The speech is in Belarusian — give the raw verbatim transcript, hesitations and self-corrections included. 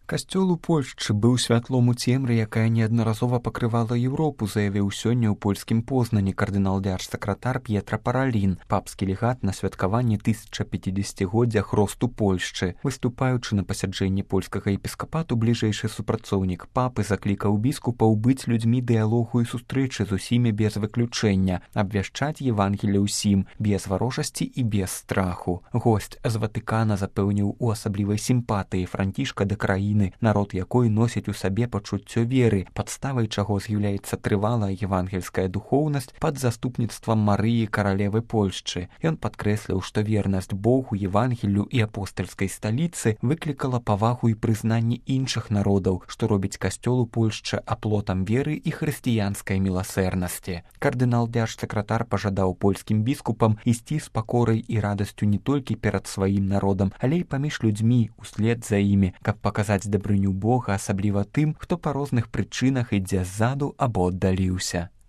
Касцёл у Польшчы быў святлом у цемры, якая неаднаразова пакрывала Еўропу, заявіў сёння ў польскім Познані кардынал-дзярж-сакратар П'етра Паралін, папскі легат на святкаванні тысячапяцідзесяцігоддзя хросту Польшчы. Выступаючы на пасяджэнні польскага епіскапату, бліжэйшы супрацоўнік папы заклікаў біскупаў быць людзьмі дыялогу і сустрэчы з усімі без выключэння, абвяшчаць Евангелле ўсім, без варожасці і без страху. Госць з Ватыкана запэўніў у асаблівай сімпатыі Францішка да краіны, народ якой носіць у сабе пачуццё веры, падставай чаго з'яўляецца трывалая евангельская духоўнасць пад заступніцтвам Марыі, каралевы Польшчы. Ён падкрэсліў, што вернасць Богу, Евангеллю і апостальскай сталіцы выклікала павагу і прызнанне іншых народаў, што робіць касцёл у Польшчы аплотам веры і хрысціянскай міласэрнасці. Кардынал-дзярж-сакратар пажадаў польскім біскупам ісці з пакорай і радасцю не толькі перад сваім народам, але і паміж людзьмі услед за імі, каб паказаць дабрыню Бога, асабліва тым, хто па розных прычынах ідзе ззаду або аддаліўся.